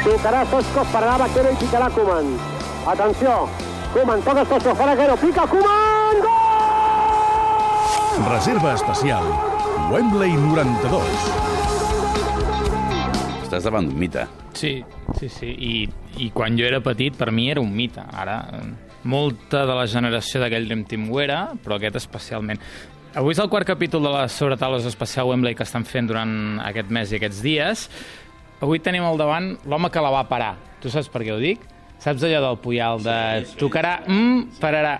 Tocarà Stoichkov, pararà Vaquero i picarà Koeman. Atenció, Koeman toca Stoichkov, fa Vaquero, pica Koeman, gol! Reserva especial, Wembley 92. Estàs davant d'un mite. Sí. I quan jo era petit, per mi era un mite. Ara, molta de la generació d'aquell Dream Team ho era, però aquest especialment. Avui és el quart capítol de les sobretaules especial Wembley que estan fent durant aquest mes i aquests dies. Avui tenim al davant l'home que la va parar. Tu saps per què ho dic? Saps allò del Puyal de tocarà pararà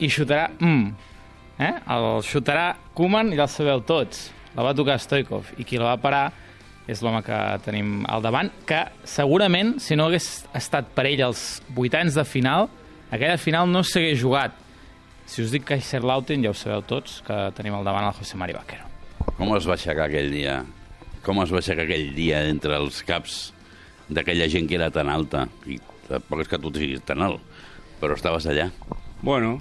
i xutarà El xutarà Koeman i ja el sabeu tots. La va tocar Stoichkov i qui la va parar és l'home que tenim al davant, que segurament, si no hagués estat per ell els 8 anys de final, aquella final no s'hagués jugat. Si us dic Kaiserslautern, ja ho sabeu tots, que tenim al davant el José Mari Vaquero. Com es va aixecar aquell dia? Com es va aixecar aquell dia entre els caps d'aquella gent que era tan alta? I tampoc és que tu siguis tan alt, però estaves allà. Bueno,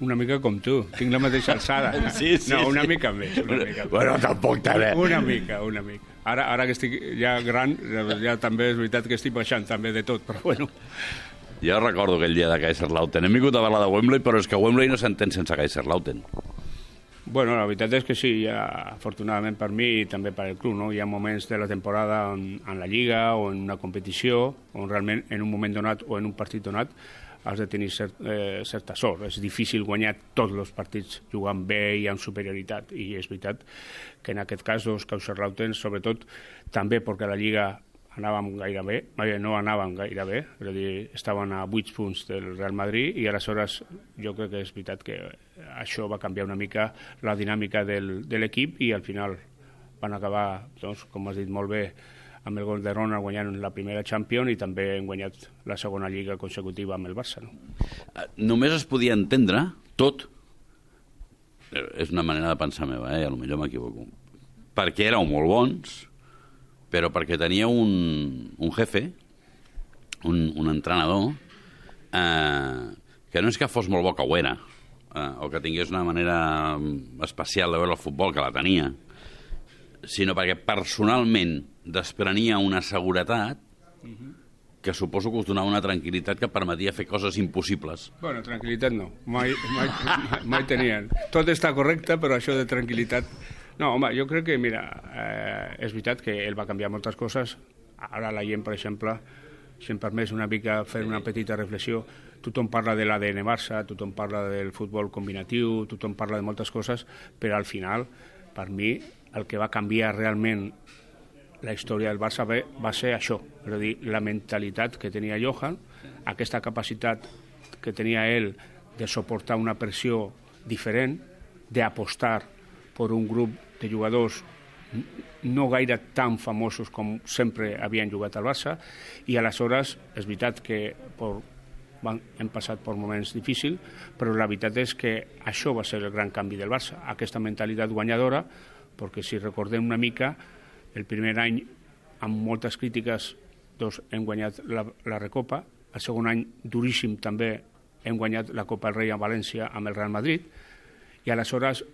una mica com tu. Tinc la mateixa alçada. Sí. No, una mica més. Bueno, tampoc també. Una mica. Ara que estic ja gran, ja també és veritat que estic baixant també de tot, però bueno. Jo recordo aquell dia de Kaiserslautern. Hem vingut a parlar de Wembley, però és que Wembley no s'entén sense Kaiserslautern. Bueno, la veritat és que sí, ja, afortunadament per mi i també per al club, no? Hi ha moments de la temporada en la Lliga o en una competició on realment en un moment donat o en un partit donat has de tenir certa sort. És difícil guanyar tots els partits jugant bé i amb superioritat. I és veritat que en aquest cas, Kaiserslautern, sobretot, també perquè la Lliga no anàvem gaire bé, és a dir, estaven a 8 punts del Real Madrid i aleshores jo crec que és veritat que això va canviar una mica la dinàmica de l'equip i al final van acabar, doncs, com has dit molt bé, amb el gol de Ronald guanyant la primera Champions i també han guanyat la segona Lliga consecutiva amb el Barça. No? Només es podia entendre tot, és una manera de pensar meva, a lo millor m'equivoco, perquè éreu molt bons, però perquè tenia un jefe, un entrenador, que no és que fos molt bo, que ho era, o que tingués una manera especial de veure el futbol, que la tenia, sinó perquè personalment desprenia una seguretat que suposo que us donava una tranquil·litat que permetia fer coses impossibles. Bueno, tranquil·litat no, mai tenien. Tot està correcte, però això de tranquil·litat... No, home, jo crec que, mira, és veritat que ell va canviar moltes coses. Ara la gent, per exemple, si em permets una mica fer una petita reflexió, tothom parla de l'ADN Barça, tothom parla del futbol combinatiu, tothom parla de moltes coses, però al final, per mi, el que va canviar realment la història del Barça va ser això, és a dir, la mentalitat que tenia Johan, aquesta capacitat que tenia ell de suportar una pressió diferent, d'apostar per un grup de jugadors no gaire tan famosos com sempre havien jugat al Barça, i aleshores és veritat que hem passat per moments difícils, però la veritat és que això va ser el gran canvi del Barça, aquesta mentalitat guanyadora, perquè si recordem una mica, el primer any, amb moltes crítiques, doncs hem guanyat la Recopa, el segon any, duríssim també, hem guanyat la Copa del Rei a València amb el Real Madrid, i aleshores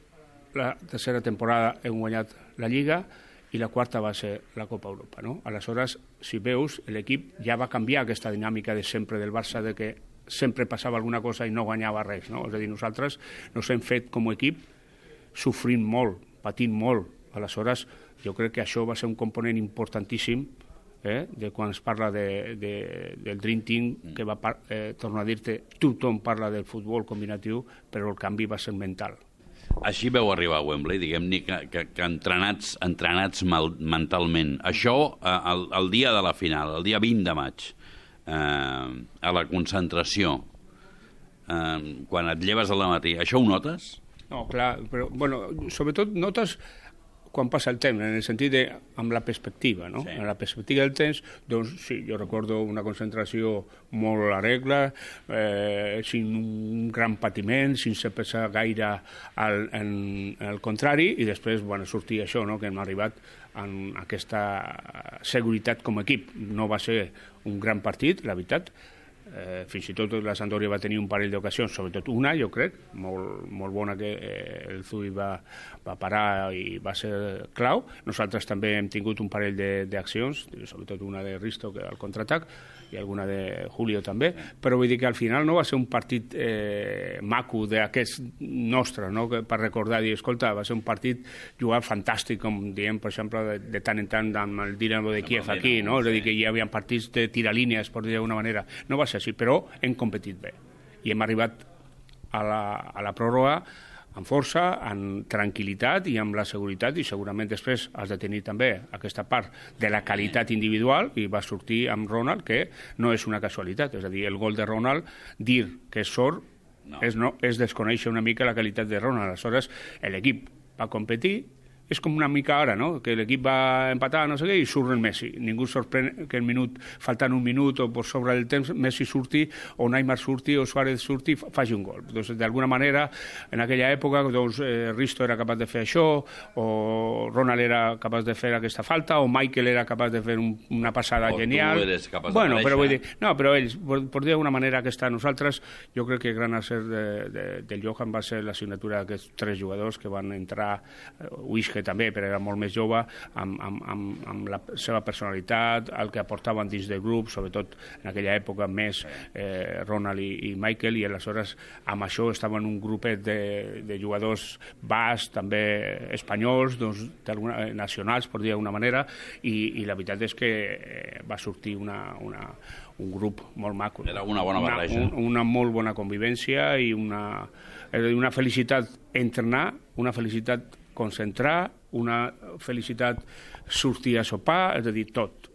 la tercera temporada hem guanyat la Lliga i la quarta va ser la Copa Europa. No? Aleshores, si veus, l'equip ja va canviar aquesta dinàmica de sempre del Barça, de que sempre passava alguna cosa i no guanyava res. No? És a dir, nosaltres ens hem fet com a equip sofrint molt, patint molt. Aleshores, jo crec que això va ser un component importantíssim de quan es parla del Dream Team, que va tornar a dir-te, tothom parla del futbol combinatiu, però el canvi va ser mental. Així veu arribar a Wembley, diguem-ne que entrenats mentalment. Això, el dia de la final, el dia 20 de maig, a la concentració, quan et lleves al matí, això ho notes? No, clar, però, bueno, sobretot notes quan passa el temps, en el sentit de, amb la perspectiva, no? Sí. En la perspectiva del temps, doncs sí, jo recordo una concentració molt a la regla, sin un gran patiment, sense pensar gaire al contrari, i després, bueno, sortir això, no?, que hem arribat amb aquesta seguretat com a equip. No va ser un gran partit, la veritat, fins i tot la Sampdoria va tenir un parell d'ocasions, sobretot una, jo crec, molt bona, que el Zui va parar i va ser clau. Nosaltres també hem tingut un parell d'accions, sobretot una de Risto, que al contraatac, i alguna de Julio també, però vull dir que al final no va ser un partit maco d'aquest nostre, no? Per recordar, dir, escolta, va ser un partit jugat fantàstic, com diem, per exemple, de tant en tant amb el Dinamo de Kiev aquí, no? És a dir, que hi havia partits de tiralínies, per dir d'alguna manera. No va ser així, però hem competit bé. I hem arribat a la pròrroga amb força, amb tranquil·litat i amb la seguretat, i segurament després has de tenir també aquesta part de la qualitat individual, i va sortir amb Ronald, que no és una casualitat. És a dir, el gol de Ronald, dir que és sort, és desconèixer una mica la qualitat de Ronald. Aleshores, l'equip va competir. És com una mica ara, no? Que l'equip va empatar, no sé què, i surt el Messi. Ningú sorprèn que faltant un minut o per sobre del temps, Messi surti, o Neymar surti, o Suárez surti, faci un gol. Doncs, d'alguna manera, en aquella època, doncs, Risto era capaç de fer això, o Ronald era capaç de fer aquesta falta, o Michael era capaç de fer una passada genial. O tu eres capaç de però vull dir, no, però ells, per dir d'alguna manera, nosaltres, jo crec que el gran acert del Johan va ser la signatura d'aquests 3 jugadors que van entrar, que també, però era molt més jove, amb la seva personalitat, el que aportaven dins del grup, sobretot en aquella època més Ronald i Michael, i aleshores amb això estaven un grupet de jugadors bascs, també espanyols, doncs, nacionals, per dir d'alguna manera, i la veritat és que va sortir un grup molt maco. Era una bona barreja. Una molt bona convivència i una felicitat entrenar, una felicitat concentrar, una felicitat sortir a sopar, és a dir, tot.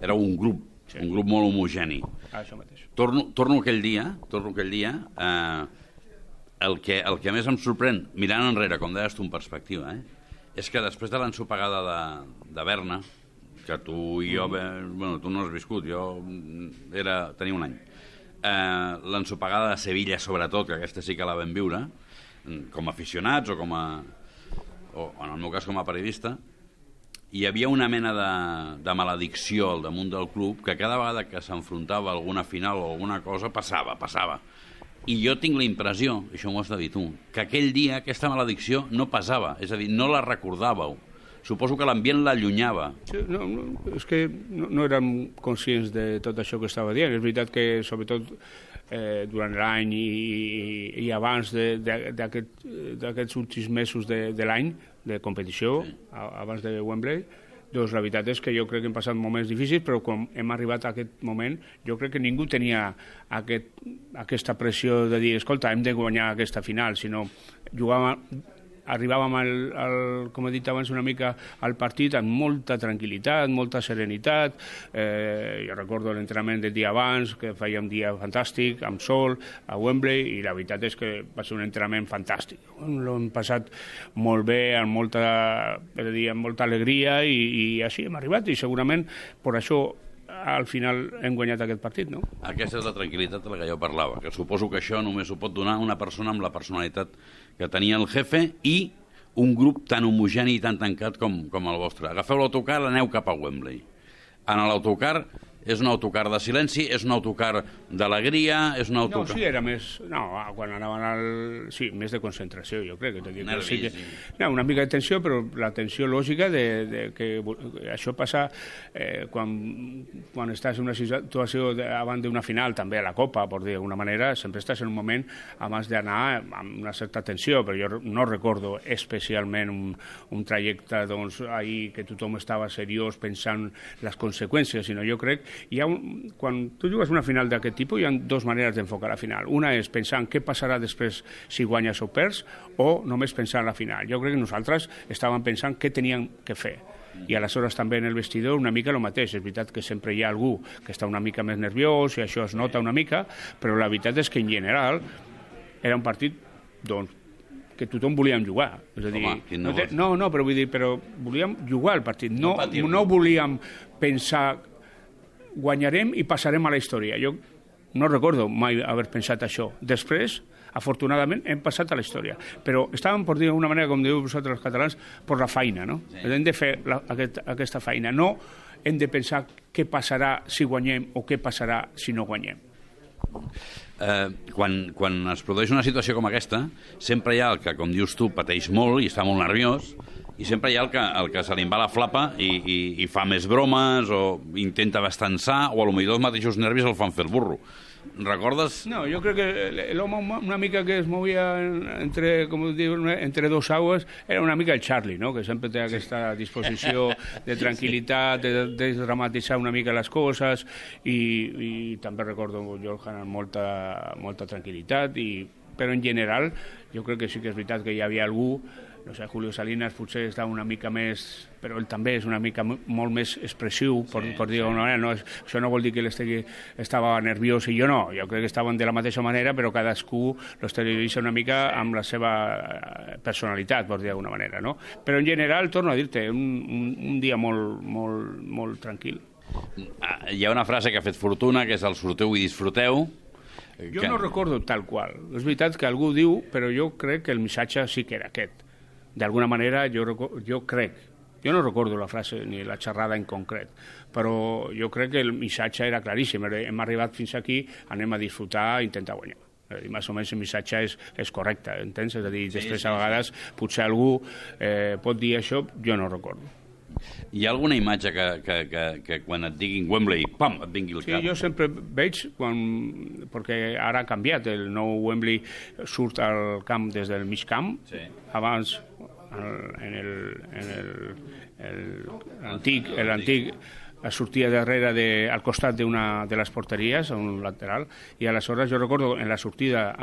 Era un grup, sí. Un grup molt homogeni. Això mateix. Torno aquell dia, el que més em sorprèn, mirant enrere, com deies tu, en perspectiva, és que després de l'ensopegada de Berna, que tu i jo, bueno, tu no has viscut, jo tenia un any, l'ensopegada de Sevilla, sobretot, que aquesta sí que la vam viure, com a aficionats o en el meu cas com a periodista, hi havia una mena de maledicció al damunt del club, que cada vegada que s'enfrontava a alguna final o alguna cosa passava. I jo tinc la impressió, això m'ho has de dir tu, que aquell dia aquesta maledicció no passava, és a dir, no la recordàveu. Suposo que l'ambient l'allunyava. Sí, és que no érem conscients de tot això que estava dient. És veritat que, sobretot, durant l'any i abans d'aquests últims mesos de l'any de competició, sí, abans de Wembley, doncs la veritat és que jo crec que hem passat moments difícils, però com hem arribat a aquest moment, jo crec que ningú tenia aquesta pressió de dir, escolta, hem de guanyar aquesta final, sinó arribàvem, com he dit abans, una mica al partit amb molta tranquil·litat, molta serenitat. Jo recordo l'entrenament del dia abans, que fèiem un dia fantàstic, amb sol, a Wembley, i la veritat és que va ser un entrenament fantàstic. L'hem passat molt bé, amb molta alegria, i així hem arribat, i segurament per això al final hem guanyat aquest partit, no? Aquesta és la tranquil·litat de la que jo parlava, que suposo que això només ho pot donar una persona amb la personalitat que tenia el jefe i un grup tan homogeni i tan tancat com el vostre. Agafeu l'autocar i aneu cap a Wembley. En l'autocar és un autocar de silenci, és un autocar d'alegria, és un autocar... No, sí, era més... No, quan anaven Sí, més de concentració, jo crec. Nervis, sí. No, una mica de tensió, però la tensió lògica de que això passa quan estàs en una situació abans d'una final, també a la Copa, per dir d'alguna manera, sempre estàs en un moment abans d'anar amb una certa tensió, però jo no recordo especialment un trajecte, doncs, ahir que tothom estava seriós pensant les conseqüències, sinó jo crec quan tu jugues una final d'aquest tipus hi ha 2 maneres d'enfocar la final. Una és pensar en què passarà després si guanyes o perds, o només pensar en la final. Jo crec que nosaltres estàvem pensant què teníem que fer. I aleshores també en el vestidor una mica el mateix. És veritat que sempre hi ha algú que està una mica més nerviós i això es nota una mica, però la veritat és que en general era un partit, doncs, que tothom volíem jugar. És a dir, home, però volíem jugar el partit. No volíem pensar guanyarem i passarem a la història. Jo no recordo mai haver pensat això. Després, afortunadament, hem passat a la història. Però estàvem, per dir d'una manera, com diu vosaltres els catalans, per la feina, no? Sí. Hem de fer aquesta feina. No hem de pensar què passarà si guanyem o què passarà si no guanyem. Quan es produeix una situació com aquesta, sempre hi ha el que, com dius tu, pateix molt i està molt nerviós, i sempre hi ha el que se li va la flapa i fa més bromes o intenta bastançar, o potser els mateixos nervis el fan fer el burro. Recordes? No, jo crec que l'home una mica que es movia entre, com diu, entre dos aguas era una mica el Charlie, no? Que sempre té aquesta disposició de tranquil·litat, de dramatitzar una mica les coses, i també recordo Johan amb molta tranquil·litat, però en general jo crec que sí que és veritat que hi havia algú, no sé, Julio Salinas potser està una mica més, però ell també és una mica molt més expressiu, per dir-ho d'una manera. No, això no vol dir que ell estava nerviós i jo no. Jo crec que estaven de la mateixa manera, però cadascú l'exterioritza una mica amb la seva personalitat, per dir d'alguna manera, no? Però en general, torno a dir-te, un dia molt tranquil. Hi ha una frase que ha fet fortuna, que és el sorteu i disfruteu. Jo no recordo tal qual. És veritat que algú diu, però jo crec que el missatge sí que era aquest. D'alguna manera, jo crec, jo no recordo la frase ni la xerrada en concret, però jo crec que el missatge era claríssim. Hem arribat fins aquí, anem a disfrutar, a intentar guanyar. Més o menys el missatge és correcte, entens? És a dir, després a vegades potser algú pot dir això, jo no recordo. Hi ha alguna imatge que quan et diguin Wembley, pam, et vingui al cap? Sí, jo sempre veig, perquè ara ha canviat, el nou Wembley surt al camp des del mig camp, abans l'antic sortia darrere al costat d'una de les porteries, a un lateral, i aleshores jo recordo en la sortida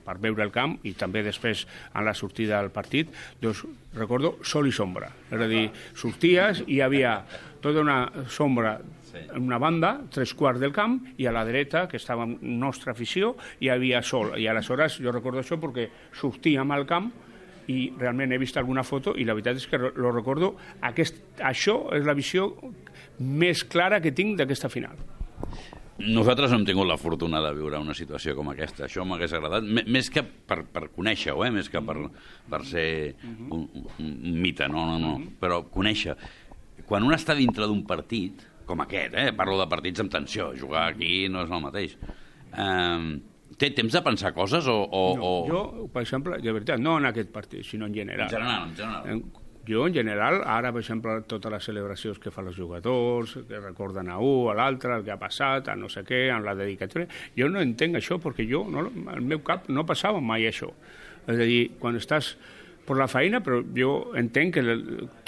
per veure el camp i també després en la sortida al partit, doncs recordo sol i sombra, és a dir, sorties i hi havia tota una sombra en una banda, 3/4 del camp, i a la dreta, que estava en nostra afició, hi havia sol, i aleshores jo recordo això perquè sortíem al camp i realment he vist alguna foto i la veritat és que lo recordo. Això és la visió més clara que tinc d'aquesta final. Nosaltres no hem tingut la fortuna de viure una situació com aquesta. Això m'hagués agradat, més que per conèixer-ho, més que per ser un mite, no. Però conèixer. Quan un està dintre d'un partit, com aquest, parlo de partits amb tensió, jugar aquí no és el mateix, té temps de pensar coses o... No, jo, per exemple, de veritat, no en aquest partit, sinó en general. En general. Jo, en general, ara, per exemple, totes les celebracions que fan els jugadors, que recorden a un, a l'altre, el que ha passat, a no sé què, amb la dedicatòria, jo no entenc això, perquè al meu cap no passava mai això. És a dir, quan estàs per la feina, però jo entenc que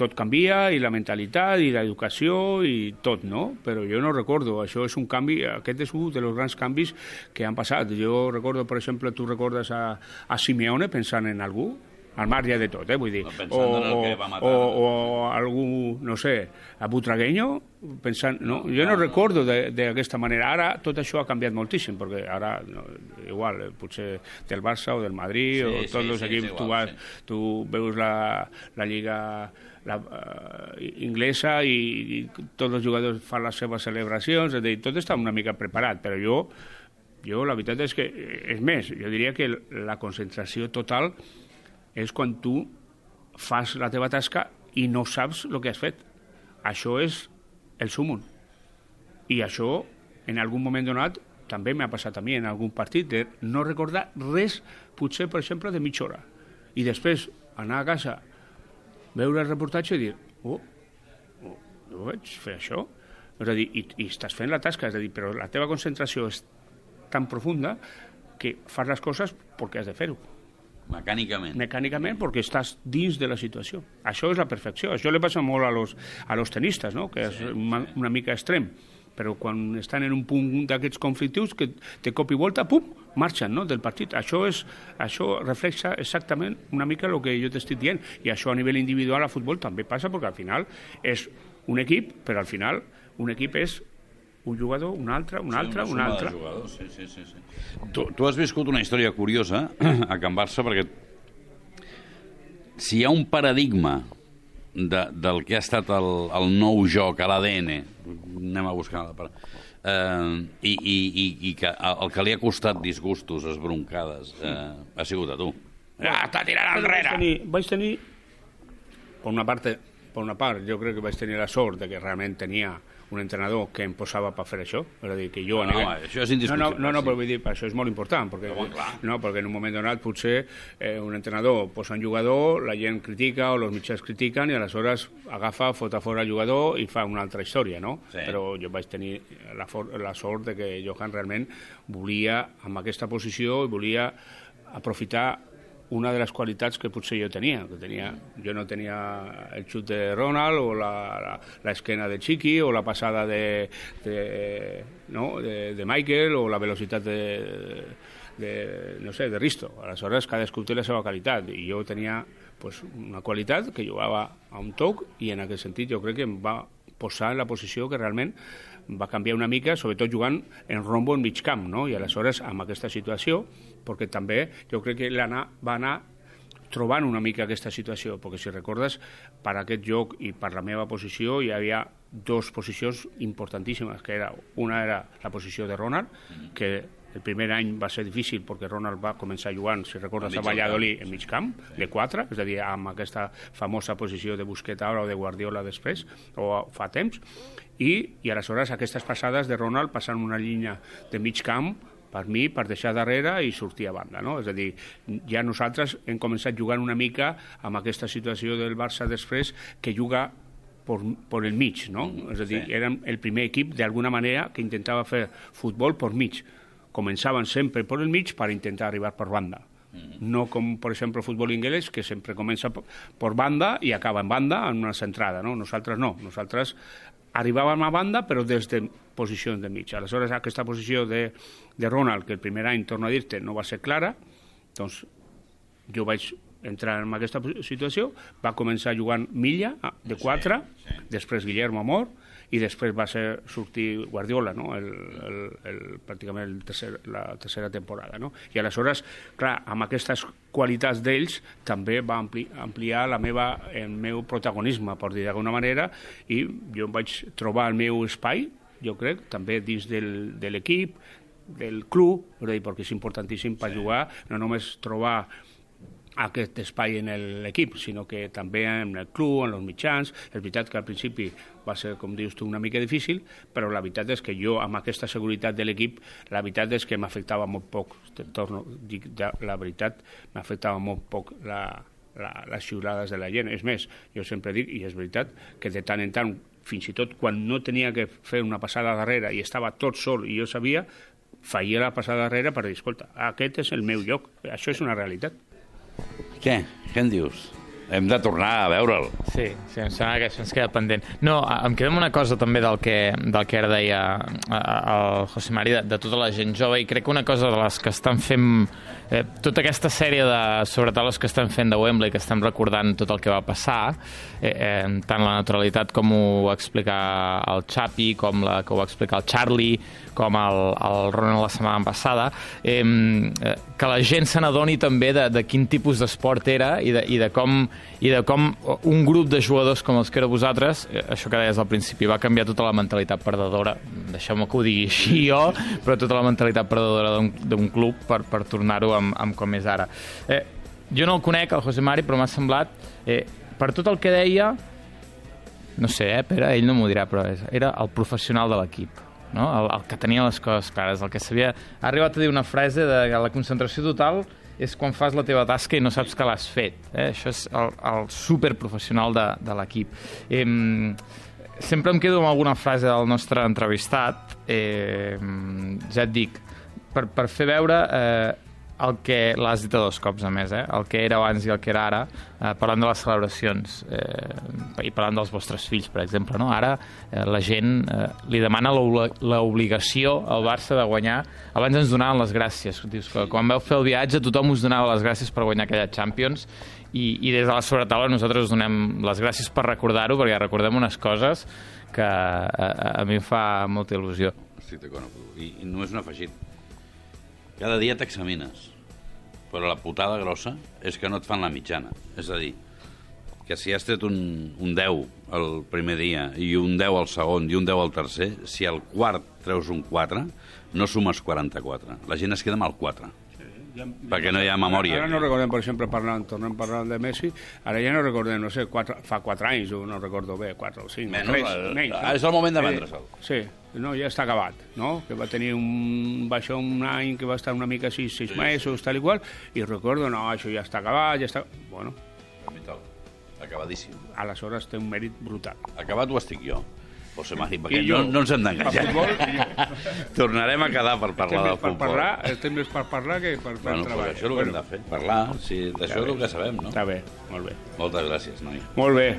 tot canvia, i la mentalitat, i l'educació, i tot, no? Però jo no recordo, això és un canvi, aquest és un dels grans canvis que han passat. Jo recordo, per exemple, tu recordes a Simeone pensant en algú, al marge de tot, vull dir, o algú, no sé, a Butragueño, pensant, no, jo no recordo d'aquesta manera. Ara tot això ha canviat moltíssim, perquè ara, igual, potser del Barça o del Madrid, o tots els equips, tu veus la Lliga inglesa i tots els jugadors fan les seves celebracions, és a dir, tot està una mica preparat, però jo la veritat és que, és més, jo diria que la concentració total és quan tu fas la teva tasca i no saps el que has fet. Això és el súmum. I això, en algun moment donat, també m'ha passat a mi en algun partit, de no recordar res, potser, per exemple, de mitja hora. I després anar a casa, veure el reportatge i dir, jo vaig fer això. És a dir, i estàs fent la tasca, és a dir, però la teva concentració és tan profunda que fas les coses perquè has de fer-ho. Mecànicament, perquè estàs dins de la situació. Això és la perfecció. Això li passa molt a los tenistes, no? Que és una mica extrem. Però quan estan en un punt d'aquests conflictius, que de cop i volta, pum, marxen, no?, del partit. Això reflexa exactament una mica el que jo t'estic dient. I això a nivell individual a futbol també passa, perquè al final és un equip, però al final un equip és un jugador, un altre. Sí. Tu has viscut una història curiosa a Can Barça, perquè si hi ha un paradigma del que ha estat el nou joc, a l'ADN, anem a buscar la paraula, i que el que li ha costat disgustos, esbroncades, ha sigut a tu. Està tirant enrere! Vaig tenir, per una part, per una part, jo crec que vaig tenir la sort de que realment tenia un entrenador que em posava per fer això, és a dir, que jo... això és indiscutible. No, però vull dir, això és molt important, perquè en un moment donat potser un entrenador posa un jugador, la gent critica o els mitjans critiquen i aleshores agafa, fot a fora el jugador i fa una altra història, no? Sí. Però jo vaig tenir la sort de que Johan realment volia, amb aquesta posició, volia aprofitar una de les qualitats que potser jo tenia. Jo no tenia el xut de Ronald o l'esquena de Chiqui o la passada de Michael o la velocitat de Risto. Aleshores, cadascú té la seva qualitat i jo tenia una qualitat que jugava a un toc i en aquest sentit jo crec que em va posar en la posició que realment va canviar una mica, sobretot jugant en rombo en mig camp, no? I aleshores amb aquesta situació, perquè també jo crec que va anar trobant una mica aquesta situació, perquè si recordes, per aquest joc i per la meva posició hi havia dues posicions importantíssimes, que una era la posició de Ronald, que el primer any va ser difícil perquè Ronald va començar jugant, si recordes, a Valladolid en mig camp, de 4, és a dir, amb aquesta famosa posició de Busquets ara o de Guardiola després, o fa temps, i aleshores aquestes passades de Ronald passant una línia de mig camp per mi, per deixar darrere i sortir a banda, no? És a dir, ja nosaltres hem començat jugant una mica amb aquesta situació del Barça després que juga per el mig, no? És a dir, érem el primer equip d'alguna manera que intentava fer futbol per mig. Començaven sempre per el mig per intentar arribar per banda. No com, per exemple, el futbol anglès, que sempre comença per banda i acaba en banda en una centrada, no? Nosaltres no. Nosaltres arribàvem a banda però des de posicions de mig. Aleshores, aquesta posició de Ronald, que el primer any, torno a dir-te, no va ser clara, doncs jo vaig entrar en aquesta situació, va començar jugant Milla, de 4, després Guillermo Amor, i després va sortir Guardiola, no? Pràcticament la tercera temporada, no? I aleshores, clar, amb aquestes qualitats d'ells també va ampliar el meu protagonisme, per dir d'alguna manera, i jo em vaig trobar el meu espai, jo crec, també dins de l'equip, del club, perquè és importantíssim per jugar, no només trobar aquest espai en l'equip, sinó que també en el club, en els mitjans. És veritat que al principi va ser, com dius tu, una mica difícil, però la veritat és que jo, amb aquesta seguretat de l'equip, la veritat és que m'afectava molt poc. La veritat, m'afectava molt poc les xiulades de la gent. És més, jo sempre dic, i és veritat, que de tant en tant, fins i tot quan no tenia que fer una passada darrere i estava tot sol i jo sabia, feia la passada darrere per dir, escolta, aquest és el meu lloc. Això és una realitat. Què en dius? Hem de tornar a veure'l. Sí, em sembla que això ens queda pendent. No, em queda una cosa també del que ara deia el José Mari, de tota la gent jove, i crec que una cosa de les que estan fent tota aquesta sèrie de sobretaules que estan fent de Wembley, que estem recordant tot el que va passar, tant la naturalitat com ho va explicar el Xapi, com que ho va explicar el Charlie, com el Ronald la setmana passada, que la gent se n'adoni també de quin tipus d'esport era i de com un grup de jugadors com els que era vosaltres, això que deies al principi, va canviar tota la mentalitat perdedora, deixeu-me que ho digui així jo, però tota la mentalitat perdedora d'un club per tornar-ho amb com és ara. Jo no el conec, el José Mari, però m'ha semblat, per tot el que deia, no sé, Pere, ell no m'ho dirà, però era el professional de l'equip, no? El que tenia les coses clares, el que sabia. Ha arribat a dir una frase de la concentració total és quan fas la teva tasca i no saps que l'has fet. Això és el superprofessional de l'equip. Sempre em quedo amb alguna frase del nostre entrevistat. Ja et dic, per fer veure el que l'has dit a 2 cops, a més, el que era abans i el que era ara, parlant de les celebracions i parlant dels vostres fills, per exemple, no? Ara la gent li demana l'obligació al Barça de guanyar. Abans ens donaven les gràcies. Dius que quan vau fer el viatge tothom us donava les gràcies per guanyar aquella Champions i des de la sobretaula nosaltres us donem les gràcies per recordar-ho, perquè recordem unes coses que a mi em fa molta il·lusió. Estic d'acord amb tu. I no és un afegit. Cada dia t'examines, però la putada grossa és que no et fan la mitjana. És a dir, que si has tret un 10 el primer dia i un 10 al segon i un 10 al tercer, si al quart treus un 4, no sumes 44. La gent es queda amb el 4. Perquè no hi ha memòria. Ara no recordem, per exemple, tornem parlant de Messi, ara ja no recordem, no sé, fa 4 anys, no recordo bé, 4 o 5, menys, 3, menys. És el moment de vendre-se'l. Sí, no, ja està acabat, no? Que va tenir un any que va estar una mica així, 6 mesos, tal i qual, i recordo, no, això ja està acabat, ja està... Bueno, acabadíssim. Aleshores té un mèrit brutal. Acabat ho estic jo. José Mari, perquè no ens hem d'enganyar. Tornarem a quedar per parlar del futbol. Estem més per parlar que per fer el treball. Això és el que hem de fer, parlar. D'això és el que sabem, no? Està bé, molt bé. Moltes gràcies, noi. Molt bé.